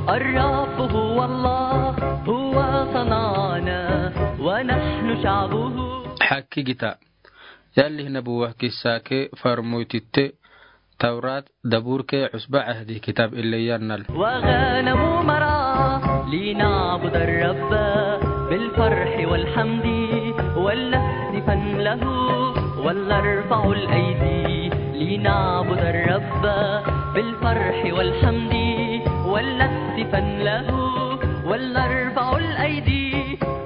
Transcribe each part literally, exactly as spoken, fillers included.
الرب هو الله، هو صنعنا ونحن شعبه. Xakkigita. Yallihi nabuwa kissa ke farmoytitte Tawrat, Dabur ke Cusba Cahdi kitab ille yannal. وغنم مرعى لنعبد الرب بالفرح والحمد ولنهتفن له ولنرفع الأيدي لنعبد الرب بالفرح والحمد ولنهتفن له ولنرفع الأيدي.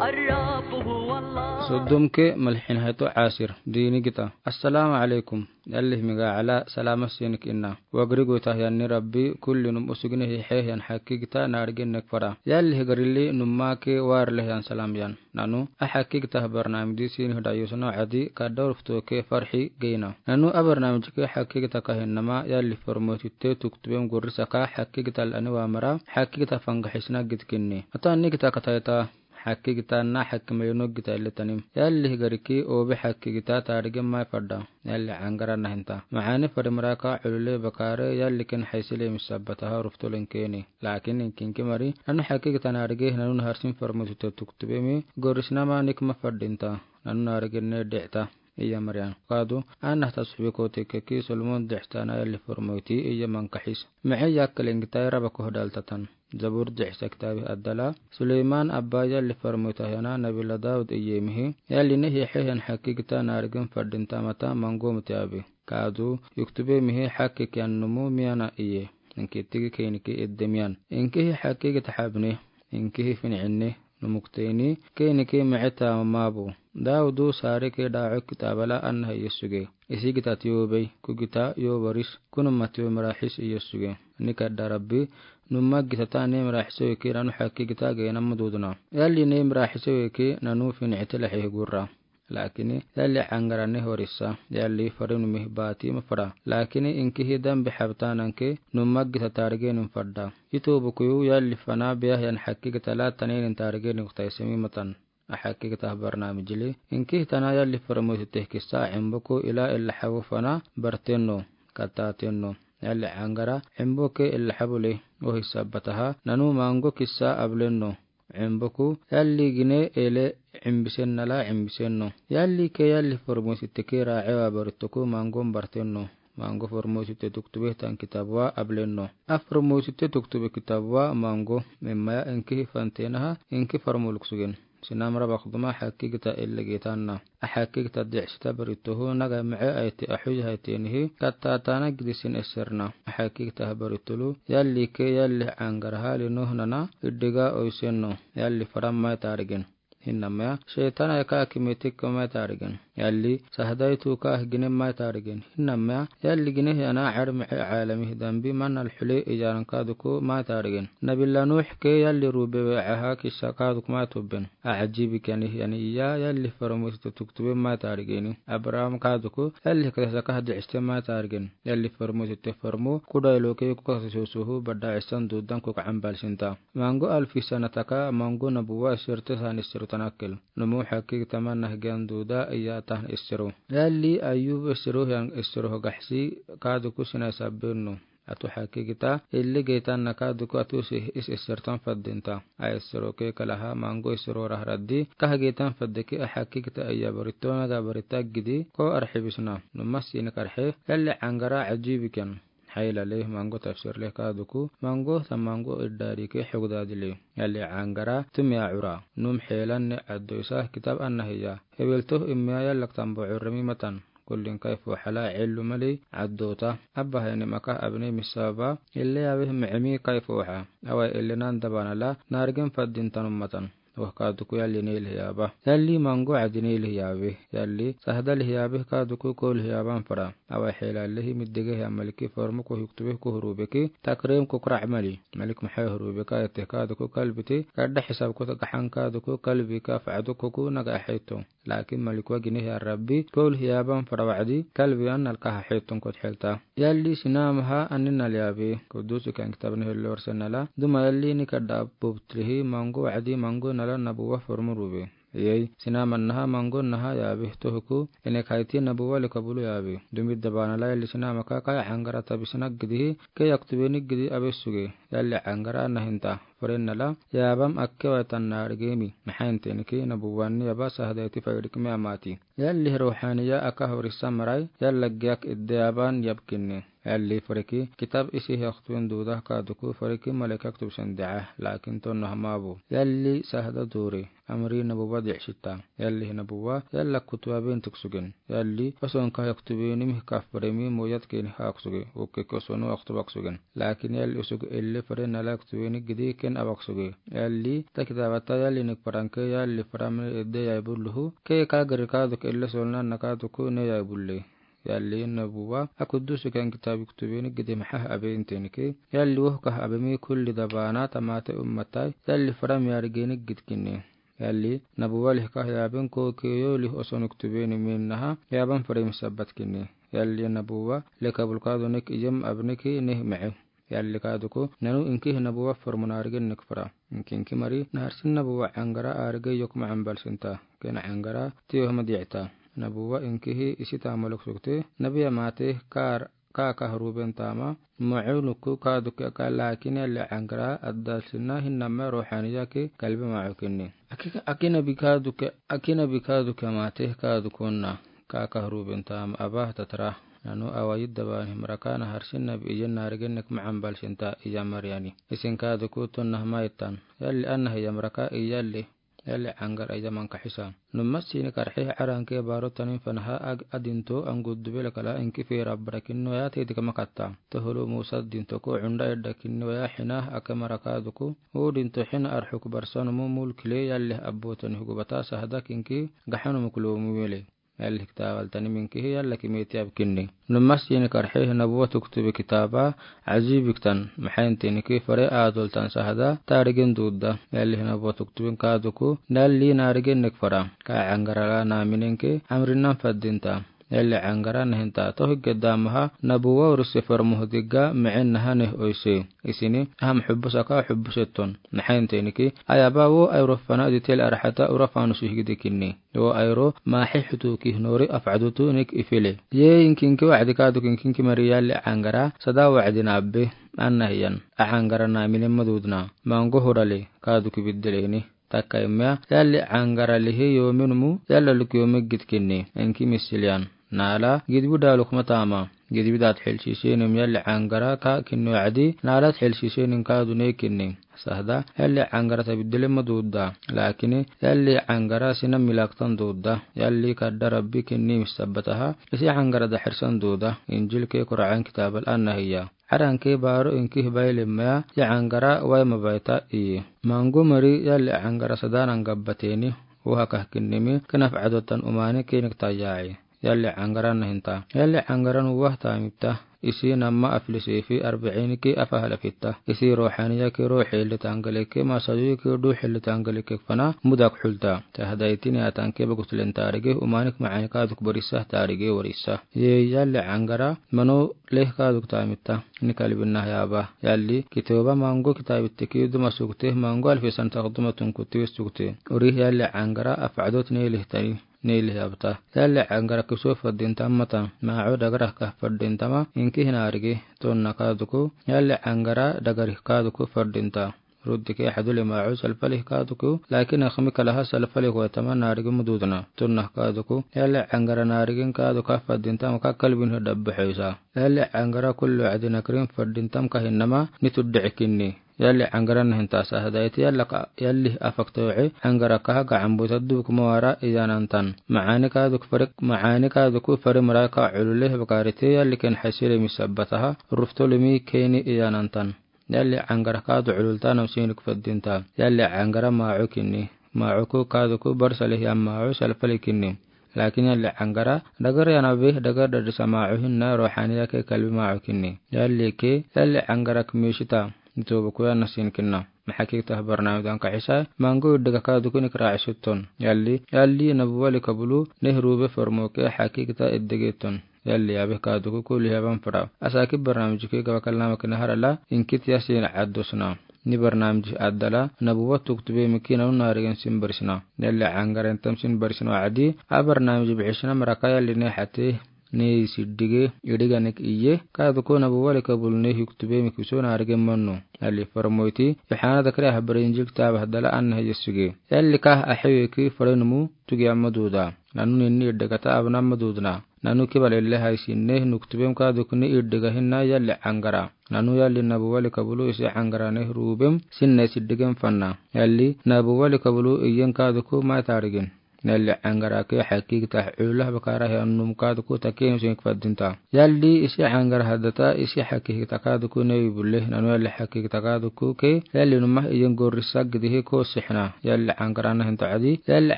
الرب هو الله. Soddom ke malxin hato Asir. Diini gita. Assalaamu alaykum. Yallihi miga ala salama sinik inna. Wagri goytah yanni Rabbi kullinum usugne hixe yan xakkigita naarigin nek fara. Yallihi garili numma ke warle yan salam yan. Nanu a xakkigita barnaamij di sinih dayusno cadi ka dawrufto ke farxi geyna. Nanu a barnaamij ke xakkigita kahin nama yalli farmoytitte tuktubem gurri saka xakkigita lani wamara xakkigita fangaxisna gidkinni. Ata anni gita katayta. Xakkigita na xakkimayi noggita ille tanim. Yallihi gariki obe xakkigita taarigin mai fadda. Yalli cangara nahinta. Macaani fari maraka culule bakare yalli ken xaysile misabbataha ruftolen keeni. Laakin inkinki mari nanu xakkigita naarige nanu naharsin farmoytitte tuktubemi gorisnama nik ma faddinta. Nanu naarigin ne dicta. Iya mariyan. Kadu, anah tasxubi kote keki Solomon dictana yalli farmoyti iya mankaxis. Mice yakkalengita raba kohdal tatan. Zabur dicsa kitabi addala. Suleyman abba yalli farmoyta yana nabila Dawud iyemihi. Yalli ne hixe yan xakkigita naarigin faddinta mata mango mutiabi. Kadu, yuktubemihi xakkik yan numu miyana iye. Inki tigi keiniki edde miyan. Inkihi xakkigita xabne. Inkihi fincinni. Numukteyni keiniki mice taamamabo. Dawudu saare ke daaco kitaabala anah iye suge. Isigita tiyoobey, kugita yoobaris, kunuma tiyo maraxis iye suge. Nikadda Rabbi, numma gitata ne maraxisewe ke nanu xakkigita geyna mududna. Yalli ne maraxisewe ke nanu finicite laxehi gurra. Laakini yalli cangarani horisa, yalli farinumi baati mafara. Laakini inkihi dambi xabtanan ke numma gita taarigenin fadda. Ito bukuyu yalli fana biyah yan xakkigita la taninin taarigenin kutaysemi matan. A xakkigita barnaamijili. Inkihi tana yalli farmoytitte kissa cimbuku ila illa xabu fana bartenno, kattatenno. Yalli cangara cimbuke illa xabule. Ohi sabbataha nanu mango kissa ablenno. Cimbuku yalli gine ele cimbisennala cimbisenno. Yalli ke yalli farmoytitte ke raacewa baritoku mangon bartenno. Mango farmoytitte tuktube tan kitabuwa ablenno. A farmoytitte tuktube kitabuwa mango. Mimmaya inkihi fantenaha inki farmo luksugen. Sinamra bakduma xakkigita ille gitanna. A xakkigita dicsita baritohu naga mice ayte axuyi haytenihi kattaatana gidisin esserna. A xakkigita baritolu yalli ke yalli cangaraha linohnana iddiga oysenno. Yalli faran mai taarigen. Hinamaya sheytanay ka kimitik mai taarigen. Yalli sahdaytu ka gine mai taarigen. Hinamaya yalli gine yana car mice caalamihi dambi manal xule iyaran kaduku mai taarigen. Nabila Nuux ke yalli rube wecaha kissa kaduku mai tubben. A cajibi kani yani iya yalli farmoytitte tuktube mai taarigeni. Abraham kaduku yalli kasa saka dicsite mai taarigen. Yalli farmoytitte farmo kudaylo ke kukasa sosuhu badda cisan dudan kukacan balsinta. Mango alfi sana taka mango nabuwa issirte san issiro tanakkel. Numu xakkigita manah giyan duda iya tan issiro. Yalli Ayub issiro yan issiro hogaxsi kaduku sinay sabbenno. Atu xakkigita ille geytanna kaduku atu si is issirtan faddinta. A issiro ke kalaha mango issiro rahraddi kah geytan faddeki a xakkigita iya barito naga barita gidi ko arxibisna. Numa sinik arxe yalli cangara cajibi ken. Xaylale mango tafsirle kaduku mango ta mango iddaadike xogdaadile. Yalli cangara tumiya cura. Num xeelanne caddoysa kitab annahiya. Heweltoh immiya yallak tambo curremi matan. Kullin kayfo xala cellu mali caddoota. Abba hayni maka abni misaba. Ille yabih micemi kayfo xa. Away ille nan dabanala naarigin faddintanum matan. Wah kaduku yalli ne ilhiyaaba. Yalli mango cadi ne ilhiyaabe. Yalli sahda lihiyaabe kaduku ko lihiyaaban fara. Away xeelalehi middige hiya maliki formuku hiktube ku hurubeki. Takrim ku kurac mali. Malik maxay hurubeka yateh kaduku kalbiti. Kadda xisabku tagaxan kaduku kalbika facdukuku naga axayto. Laakin malikuwa gine hiya Rabbi ko lihiyaaban fara wacdi kalbiwan nalkaha xeeton kod xelta. Yalli sinamaha anni nalyaabe. Kudusi kan kitabni hellorse nala duma yalli nikadda bubtrihi mango wacdi mango nala nabuwa formurube. Yei, sinama naha, mango naha yaabi, tohiku, inek haiti nabuwa lika bulu yaabi. Dumi dabaana la yalli sinama ka, ka aŋgara tabi sina gidi hi, ke yaktubeni gidi abesuge. Yalli aŋgara nahinta. Furennala, yaabam akke waytan naarigemi. Maxaintenki nabuwa ni yaba sahadaiti fairikme amati. Yalli ruhaniya aka hurisa marai, yalla giyak idde yaban yabkinni. Yalli fureki, kitab isi yaktubin duda kaduku fureki malek yaktub sendeca, lakin tonno hamabu. Yalli sahada duri, amri nabuwa dicsita. Yalli nabuwa, yalla kutuwa bin tuksugin. Yalli, osonka yaktubini mih kafuremi moyat keni haksugi, ukke kosonu yaktub aksugen. Lakin yalli usug elle furennala yaktubini gidi ken abaksugi. Yalli, ta kitabata yalli nik faranke yalli faramne idde yaibulluhu, ke ka gari kaduk elle solna nakaduku ne yaibulle. Yalli nabuwa, a kudusu ken kitabi kutubeni gidi maxah abe intenki. Yalli wohkah abemi kulli dabaana tamate ummatai, yalli faram yaarigeni gidkinni. Yalli, nabuwa lihkah yaabin ko kiyo lih osonuk tubeni min naha, yaaban furemi sabbatkinni. Yalli nabuwa, leka bulkadu nik ijim abniki nih mace. Yalli kaduku, nanu inkihi nabuwa furmu naarigin nik fura. Inkinki mari, naharsin nabuwa aŋgara aarige yok macan balsinta. Ken aŋgara, tiyo hama diicta. Nabuwa inkihi isi tamaluk sukte, nabiya mate, kar, ka kahruben tama, macu nuku kaduke aka lakin yalli aŋgara adalsinna hinnama ruhaniyaki kalbi macukinni. Aki, aki nabi kaduke, aki nabi kaduke mate kadukonna, ka kahruben tama aba tatra. Nanu awa yidda bani himraka naharsin nabi ijen naarigin nik macan balsinta ija mariyani. Isin kaduku tonno hama ittan. Yalli annahi yamraka iyalli. Yalli aŋgara ija mankaxisa. Numma sini karxe aranke baro tanin fanaha ag adinto angudube lakala inki fera brakinno ya tedika makatta. Tohulu Musa dinto ko unda eddakinno ya xina ake marakaduku. U dinto xina arxuk barsanumu mulkile yalli abbo tani hugubata sahada kinki gaxanum kulumu wele. Yalli kitaba altani minkihi yalla kimeti abkinni. Numma sini karxe nabuwa tuktube kitaba ajibi ktan. Maxaintenki fare adoltan sahada taarigin dudda. Yalli nabuwa tuktubin kaduku nalli naarigin nik fara. Ka aŋgara la namininki amrinan faddinta. Yalli aŋgara nahinta tohigge damaha nabuwa uruse farmuhu digga micin naha nih oyse. Isini, aham xubusaka xubusetton. Maxaintenki, ayaba wo ayro fana ditel arxata ura fanusu higdikinni. Wo ayro, maxi xutuki nori afcadutu nik ifile. Ye inkinki wacdi kaduk inkinki mari yalli aŋgara, sada wacdi nabbe, annahiyan. A aŋgara namine madudna, mango hurale, kaduki biddeleni. Takka immiya, yalli aŋgara lihi yominumu, yalla luk yomi gidkinni, inki misiliyan. Nala, gidbu daluk matama. Gidbi dat xilshisenim yalli aŋgara ka kinni wacdi, nala xilshisenim kadu ne kinni. Sahda, yalli aŋgara tabiddele madudda. Lakini, yalli aŋgara sina milaktan dudda. Yalli kadda Rabbi kinni misabbataha, isi aŋgara daxirsan duda. Injil ke Qur'an kitabal annahiya. Aranke baro inki hibaile maya, ya aŋgara wai mabaita i. Mango mari yalli aŋgara sadanan gabbateni, wuha kahkinnimi, kinaf adotan umani kinik tayaci. Yalli aŋgara nahinta. Yalli aŋgara nuwah tamipta. Isi nama afilisifi arba'inki afahala fitta. Isi ruhaniya ki ruxi li tangalike, masadu ki duxi li tangalike fana, mudak xulta. Tahda itini atanke bagutlen tarige, umanik ma'anika duk barisa tarige warisa. Ye yalli aŋgara, mano leh kaduk tamita, ni kalbin nah yaba. Yalli, kitoba mango kitabitteki duma sukte, mango alfisan tak duma tunkuti sukte. Uri yalli aŋgara afadot ne leh tani, ne leh yabta. Yalli aŋgara kiso fadin tamata, ma'o dagarah kah fadin tama, inki hinarigi, tonna kaduku, yalli aŋgara dagarih kaduku fadin ta. Ruddike hadule ma'o salfalih kaduku, lakin akhmi kalaha salfalih wetama narigi mududna. Tunnah kaduku, yalli aŋgara narigin kaduka fadin tamka kalbin hidabba xisa. Yalli aŋgara kullu adina kirin fadin tamka hinama ni tudde kinni. Yalli aŋgara nahinta sahda iti yalli ka, yalli afakta wuxi, aŋgara kaha gacan buta dubuk mawara iyanantan. Ma'ani kaduk farik, ma'ani kaduku fari maraka ulule bakarite yalli ken xasire misabbataha, ruftolimi keni iyanantan. Yalli aŋgara kadu cululta namsinik fadinta. Yalli aŋgara ma'o kinni. Ma'o ku kadu ku barsalih yam ma'o salfali kinni. Lakin yalli aŋgara dagar yanabe dagar dadisa ma'o hinna ruhaniya ke kalbi ma'o kinni. Yalli ke, yalli aŋgara kmishita. Nitobu ku yana sin kinna. Maxakikta barnamidan kaxisa, mango iddiga kadu ku nikra isutton. Yalli, yalli nabuwali kabulu, nehrube formoke xakikta iddigiton. Yalli abih kaduku kulli haban fura. Asaki barnamijiki gaba kalnama kina harala, inkit yasin addusna. Ni barnaamij addala nabuwa tuktube miki nanu naarigin sin barisna. Yalli caŋgara intam sin barisna wacdi, a barnaamij bixisna maraka yalli ni xate ni siddige idhiganik iye, kaadu ko nabuwa lika bulu ni hiktube miki so naarigin manno. Yalli farmoyti, Yohana dakri ahbari Injil kitaaba hadala anna hiya suge. Yalli ka axiweki farinumu tugi amma duuda. Nanu ninni idhigata abna amma duudna. Nanu kibal ille haysinne nuktubem kaadu ko ni idhiga hinna yalli caŋgara. Nanu yalli nabuwa lika bulu isi caŋgara ni ruubem sinna siddigem fanna. Yalli nabuwa lika bulu iyen kaadu ko mai taarigin. Yalli caŋgara ke xakigta cula bakara he annum kaadu ko takin sin faddinta. Yalli isi caŋgara haddata isi xakigta kaadu ko ni bulle. Nanu yalli xakigta kaadu ko ke yalli numa iyen gorri saggidi he ko sixna. Yalli caŋgara na hinta cadi. Yalli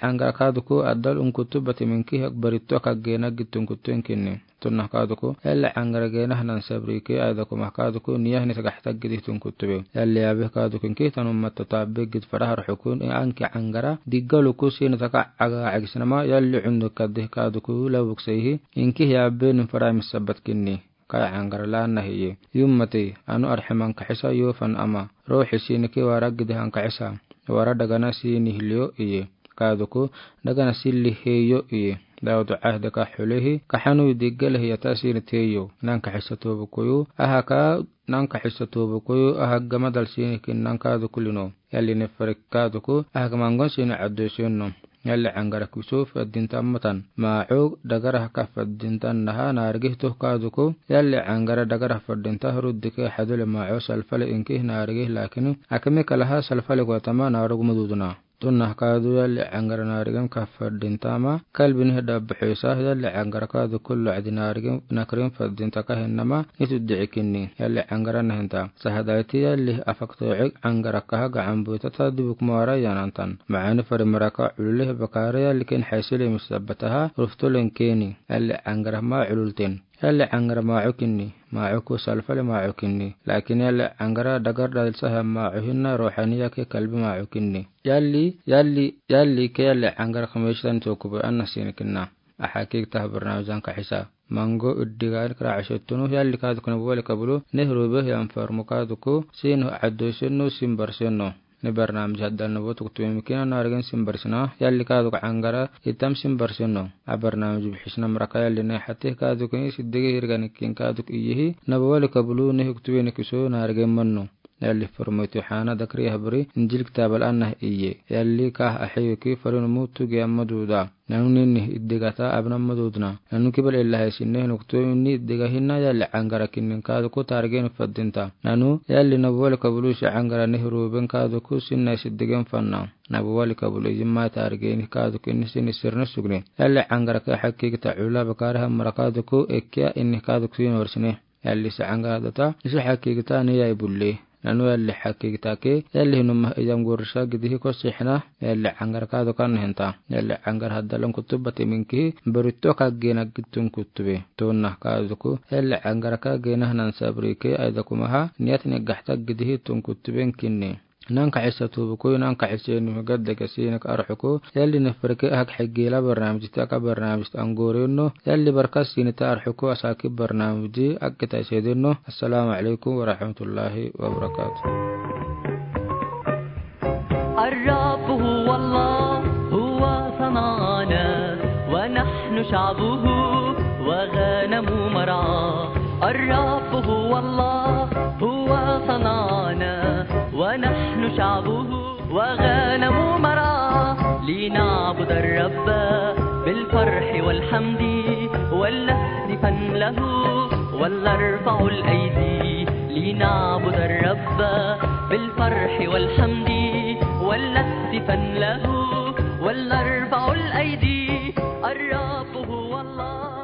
caŋgara kaadu ko addal unkutu bati minki hek baritto kaggeena gittu unkutu inkinni. Tunna kaadu ko, yalli caŋgara geena hanan sabri ke ayda kuma kaadu ko, niya hini sagax taggidi tun kuttube. Yalli yaabe kaadu ko, inki tanu matta taabbe gid fara har xukun, anki caŋgara, diggalu ko, sini taka caga cagisnama, yalli cundu kadde kaadu ko, lawuk seihi, inki yaabe nin fara misabbat kinni. Kay caŋgara laanna hiye. Yummati, anu arximan kaxisa yofan ama. Ruuxi sini ke wara gidi han kaxisa. Wara dagana sini hiliyo iye. Kaadu ko, dagana silli heyo iye. Daawudu cahde ka xulehi, kaxanu diggele hiyata sini teyo. Nanka xisa tobu koyu, aha ka, nanka xisa tobu koyu, aha gama dal sini kin nanka du kulino. Yalli ni farik kaadu ko, aha gama ngon sini caddo sinno. Yalli caŋgara kiso faddinta matan. Maaco dagara ka faddinta naha naarigi toh kaadu ko. Yalli caŋgara dagara faddinta huruddi ke xadule maaco salfale inki naarigi lakini. Akimi kalaha salfale ko tama naaruguma duduna. Tunna kaadu yalli caŋgara naarigin ka faddinta ma, kalbin heda buxisa, yalli caŋgara kaadu kullu cadi naarigin nakrin faddinta ka hinnama, nitu dici kinni, yalli caŋgara nahinta. Sahadayti yalli afakto cig caŋgara kaha gacan buytata dibuk mara yanantan. Maani fari maraka culule bakara yalli ken xaysile misabbataha, ruftulen keni, yalli caŋgara ma cululten. Yalli caŋgara maaco kinni, maaco ko salfale maaco kinni. Lakin yalli caŋgara dagar dalsaha maaco hinna ruuxaniya ke kalbi maaco kinni. Yalli, yalli, yalli ke yalli caŋgara kameshitan tokube anna sini kinna. Aha kik tah barnaamij anka xisa. Mango iddiga kra cashettunu yalli kaadu ko nabuwa lika bulu, nehru be yan farmu kaadu ko, sinu caddo sinno, sin bar sinno. Ni barnaamij haddal nabuwa tuktube miki nanu naarigin sin barisna, yalli kaadu ko caŋgara, itam sin bar sinno. A barnaamij bixisna maraka yalli ni xate kaadu ko ni siddige hirganikin kaadu ko iyehi, nabuwa lika bulu ni hiktube ni kiso naarigin manno. Yalli farmoyti Yohana dakri ahbari, Injil kitaabal anna iye. Yalli kah axiweki farinumu tugi amma duuda. Nanu ninni iddigata abna amma duudna. Nanu kibal illa haysinne nuktube ni iddiga hinna yalli caŋgara kinnin kaadu ko taarigin faddinta. Nanu yalli nabuwa lika bulu isi caŋgara nehru ben kaadu ko sinna siddigen fanna. Nabuwa lika bulu ijin ma taarigin kaadu ko inni sini sirna sugni. Yalli caŋgara ke xakigta cula bakara hamara kaadu ko ekkiya inni kaadu ko sini warsine. Yalli si caŋgara data, isi xakigta ni yai bulle. Nanu yalli xakigta ke, yalli hinuma ijam gorisa gidihi ko sixna, yalli caŋgara kaadu ko nahinta. Yalli caŋgara haddal unkutu bati minki, baritto ka gena gittu unkutu be. Tunna kaadu ko, yalli caŋgara ka gena hanan sabri ke, ayda kumaha, niyat ni gaxta gidihi tun kutu be inkinni. Nanka xisa tobu koyu, nanka xisa ni gadda ka sini ka arxuku, yalli ni farke hak xigila barnaamij ta ka barnaamij ta angorinno, yalli barka sini ta arxuku asaki barnaamij akita sedinno. Assalamu alaikum wa rahmatullahi wa barakatuh. الرب هو الله، هو صنعنا، ونحن شعبه وغنم مرعاه. الرب هو الله، هو صنعنا، ونحن شعبه وغنم مرعاه. لنعبد الرب بالفرح والحمد، ولنهتفن له ولنرفع الأيدي. لنعبد الرب بالفرح والحمد، ولنهتفن له ولنرفع الأيدي. الرب هو الله.